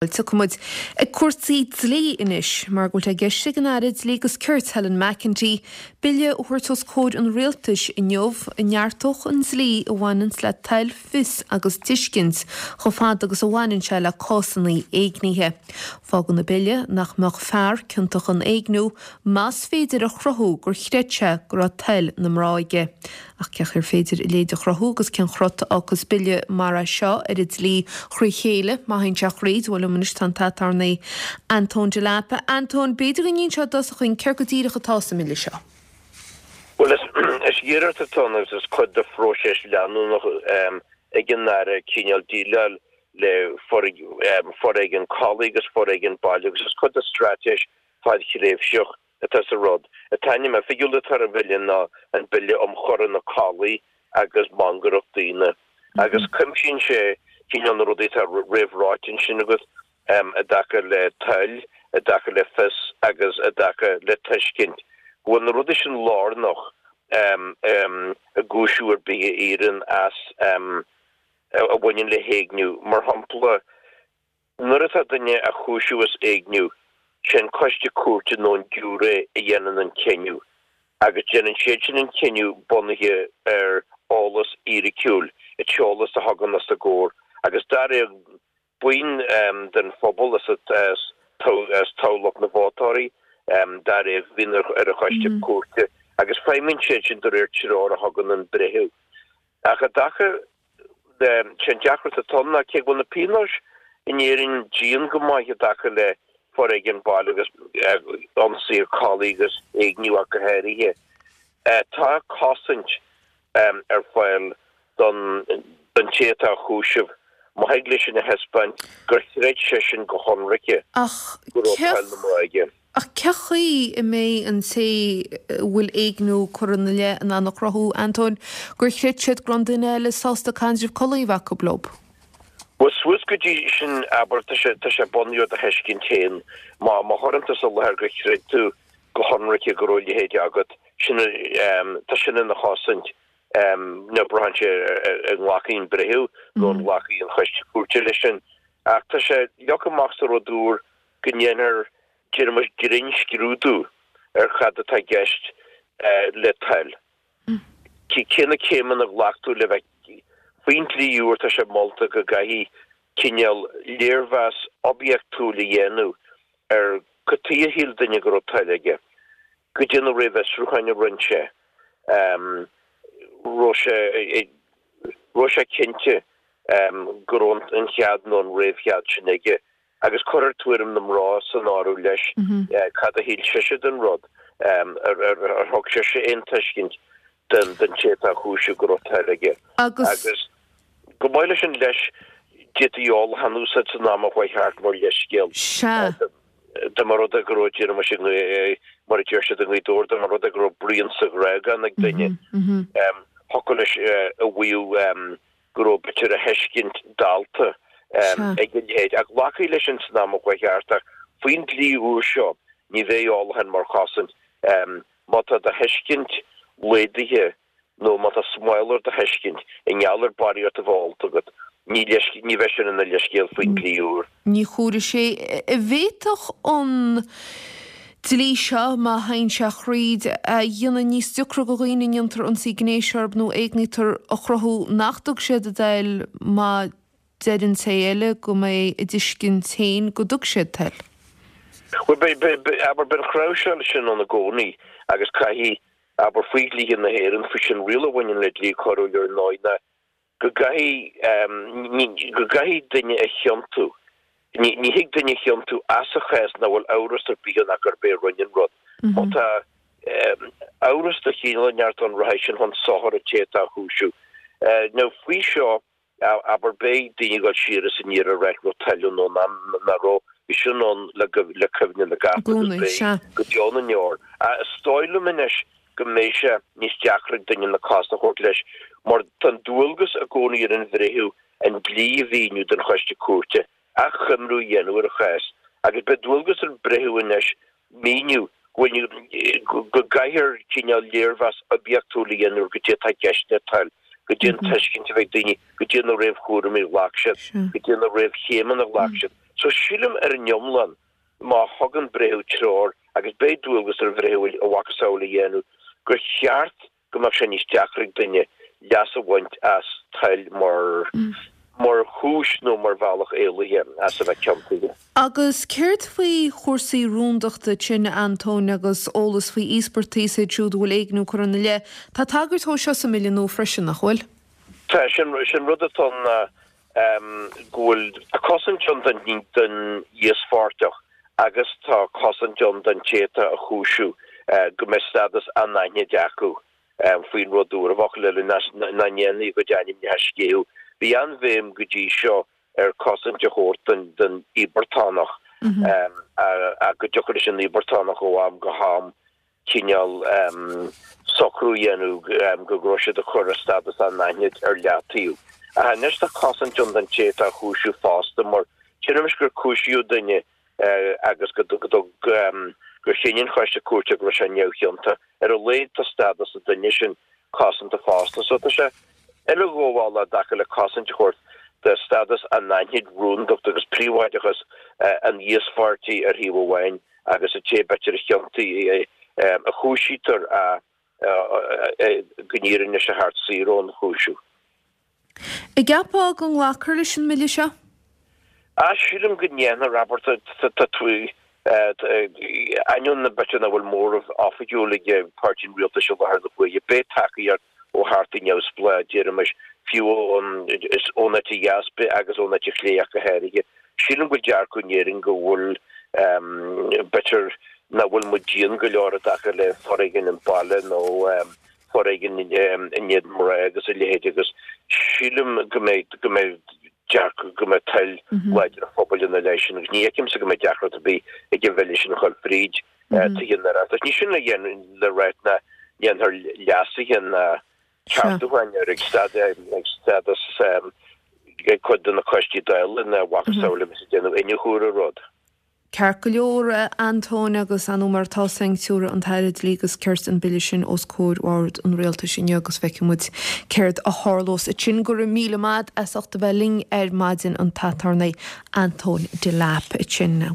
Tiocfaidh muid ag cúrsaí dlí anois mar go bhfuil sé i gceist ag an Aire Dlí agus Cirt Helen McEntee bille a thabhairt os comhair an Rialtais inniu a neartódh an dlí a bhaineanns le toil, fios agus tuiscint chomh fada agus a bhaineann sé le cásanna éignithe. Fágann an bille nach mbeadh fear ciontach in éigniú más féidir a chruthú gur chreid sé go raibh toil na mná aige. Ach cén chaoi ar féidir a leithéid a chruthú agus cén chrot a fhágfas bille mar é seo ar an dlí thrí chéile, má théann sé thríd? Bhuel, liom anois tá an t-aturnae Antóin Delap. A Antóin, b'fhéidir go n-inseofá i dtosach dhúinn céard go díreach atá sa mbille seo? Bhuel, is iarracht atá ann agus is cuid de phróiseas leanúnach ag an Aire cineál déileáil le foréigean collaí agus foréigean baile agus is cuid de straitéis fadthréimhseach atá sa rud. An t-ainm oifigiúil atá ar an bhille ná an Bille um Choireanna Collaí agus Mangaireacht Daoine agus cuimsíonn sé cineál na rudaí atá réamhráite ansin agat i dtaca le toil, i dtaca le fios agus i dtaca le tuiscint, go bhfuil na rudaí sin lárnach i gcúiseamh ar bith a éiríonn as a bhaineann le héigniú. Mar shampla, Nuair atá duine á chúiseamh as éigniú, sé an coiste cúirte nó an giúiré a dhéanann an cinneadh, agus déanann siad sin an cinneadh bunaithe ar eolas fhíriciúil, an t-eolas a thagann os a gcomhair, agus dáréag buíon den phobal as toghlach na vótóirí, dáréag a bhíonn ar an choiste cúirte, agus feidhmíonn siad sin de réir treoir a thugann an breitheamh. Ach i dtaca le, sé an deacracht atá ann ná cé go bhfuil na pionóis in Éirinn dian go maith i dtaca le foréigean baile agus ionsaithe collaí agus éigniú ach go háirithe, tá cosaint ar fáil don don té atá á chúiseamh má thig leisean a thaispeáint gur chreid seisean go hionraice go raibh toil na mná aige. Ach cén chaoi a mbeidh an té a bhfuil éigniú curtha ina leith in ann a chruthú, Antóin, gur chreid siad go raibh an duine eile sásta caidreamh collaí a bheith acu leo? Bhuel, suas go dtí sin, abair, tá sé, tá sé bunaithe ar do thuiscint féin. Má, má chuireann tusa i láthair gur chreid tú go hionraice go raibh a leithéid agat, sin, tá sin ina chosaint. Now braitheann sé ar an nglacfaidh an breitheamh nó an nglacfaidh an choiste cúirte leis sin. Ach tá sé leagtha amach sa rud úr go ndéanfar, déarfaimis, grinnscrúdú ar cad atá i gceist le toil. Cé na céimeanna a ghlac tú le bheith faoin dlí úr tá sé molta go gcaithfí cineál léirmheas oibiachtúil a dhéanamh ar cad chuige a shíl duine go raibh toil aige, goidé na réamhfhiosrúcháin a rinne sé, raibh sé raibh sé cinnte go raibh an chead nó an réamhchead sin aige. Agus cuirfear tuairim na mná san áireamh leis, cad a shíl sise den rud, ar thug sise aon tuiscint don té atá á chúiseamh go raibh toil aige. Agus chomh maith leis an leis, d'fhéadfaí ólachán a úsáid san am a chuaigh thart mar leithscéal. Sea. Dá mba rud é go raibh, déarfaimis, mar a deir siad i nGaoth Dobhair, dá mba rud é go raibh braon sa ghrágán ag duine, thiocfadh leis a mhaíomh go raibh b'fhéidir a thuiscint dallta ag a leithéid. Ach glacfaí leis sin san am a chuaigh thart ach faoin dlí úr seo ní bheidh ólachán mar chosaint. Má tá do thuiscint laghdaithe nó má tá smál ar do thuiscint i ngeall ar barraíocht a bheith ólta agat, ní ní bheidh sin ina leithscéal faoin dlí úr. Ní chúlra sé. An bhféadfadh an dlí seo, má théann sé thríd, a dhéanamh níos deacra do dhaoine a ndéantar ionsaí gnéis orthu nó éignítear a chruthú nach dtug siad a dtoil má deir an té eile go mbeidh a dtuiscint féin go dtug siad toil? Bhuel, beidh, abair, beidh an chnáimhseáil sin ann i gcónaí agus caithfidh, abair, faoi dhlíthe na hÉireann, faoi sin riail a bhaineann le dlí coiriúil ar ndóigh ná go gcaithfidh, go gcaithfidh duine a chiontú. Ní, ní thig duine a chiontú as a chás nach bhfuil amhras ar bith ann ach gurb é a rinne an rud. Má tá amhras de chineál inteacht ann rachaidh sin chun sochair an té atá á chúiseamh. Now faoi seo, abair, beidh daoine ag dul siar is aniar ag rá an raibh toil ann nó nach raibh. Bhí sin ann le cuimhne na gcat agus beidh go deo na ndeor. Is dóigh liom anois go mbeidh sé níos deacra ag duine an cás a thabhairt leis mar tá an dualgas i gcónaí ar an bhreitheamh an dlí a mhíniú don choiste cúirte, achoimriú a dhéanamh ar an chás agus beidh dualgas ar an bhreitheamh anois míniú go bhfuil go gcaithfear cineál léirmheas oibiachtúil a dhéanamh ar goidé atá i gceist le toil, goidé an tuiscint a bheidh ag daoine, goidé na réamhchúraimí a ghlac siad, goidé na réamhchéimeanna a ghlac siad. So sílim ar an iomlán má thugann breitheamh treoir, agus beidh dualgas ar bhreitheamh a mhacasamhail a dhéanamh, gur cheart go mbeadh sé níos deacra ag duine leas a bhaint as toil mar mar chúis nó mar bhealach éalaithe as a bheith ciontaithe. Agus céard faoi chúrsaí rúndachta ansin, a Antóin, agus eolas faoi íospartaigh is iad siúd a bhfuil éigniú curtha ina leith? Tá tagairt dhó seo sa mBille nua freisin, nach bhfuil? Tá, sin rud atá ann ná go bhfuil cosaint ann don íospartach agus tá cosaint ann don té atá á chúiseamh go mbeidh stádas anaithnid acu faoin rud úr, i bhfocail eile, nach ndéanfaí a gcuid ainmneacha a sceitheadh. Bhí an-bhéim go dtí seo ar cosaint a thabhairt don íobartánach ach go dtiocfadh leis an íobartánach ó am go ham cineál socrú a dhéanamh go raibh siad ag cur a stádas anaithnid ar leataobh. Ach anois tá cosaint ann don té atá á chúiseamh fosta mar déarfaimis gur cúisíodh duine agus go gur chinn an choiste cúirte go raibh sé neamhchiontach. Ar a laghad tá stádas an duine sin cosanta fosta. So tá sé uileghabhálach i dtaca le cosaint a thabhairt do stádas anaithnid, rúndacht agus príobháideachas an íospháirtí ar thaobh amháin agus an té b'fhéidir a chiontaigh, a chúisítear go n-éiríonn leis a theacht saor ón chúiseamh. An gceapfá go nglacfar leis an mBille seo? Ah, sílim go ndéanfar, abair, tá tú, ainneoin b'fhéidir nach bhfuil móramh oifigiúil ag Páirtí an Rialtais i láthair na huaire, beidh tacaíocht ó Theachtaí neamhspleácha, déarfaimis, fiú ón ón eite dheas agus ón eite chlé ach go háirithe. Sílim go bhfuil dearcadh in Éirinn go bhfuil, b'fhéidir nach bhfuil muid dian go leor i dtaca le foréigean an baile nó foréigean in éadan mná agus a leithéid agus sílim go mbeidh, go mbeidh dearcadh, go mbeidh toil láidir an phobail ina leith sin agus ní fheicimse go mbeidh deacracht ar bith ag an bhille sin a dhul fríd Tithe an Oireachtais. Ní sin le ráit nach ndéanfar leasuithe ná ceartúcháin air ag stádas ag cuid de na coistí Dála ná a mhacasamhail a bheas ag déanamh iniúchadh ar an rud. Ceart go leor, a Antóin, agus ar ndóigh mar atá san tabharfaidh an tAire Dlí agus Cirt an bille sin os comhair Bhord an Rialtais inniu agus feicfidh muid céard a tharlós ansin. Go raibh míle maith as ucht a bheith linn ar maidin an tAturnae Antóin Delap ansin.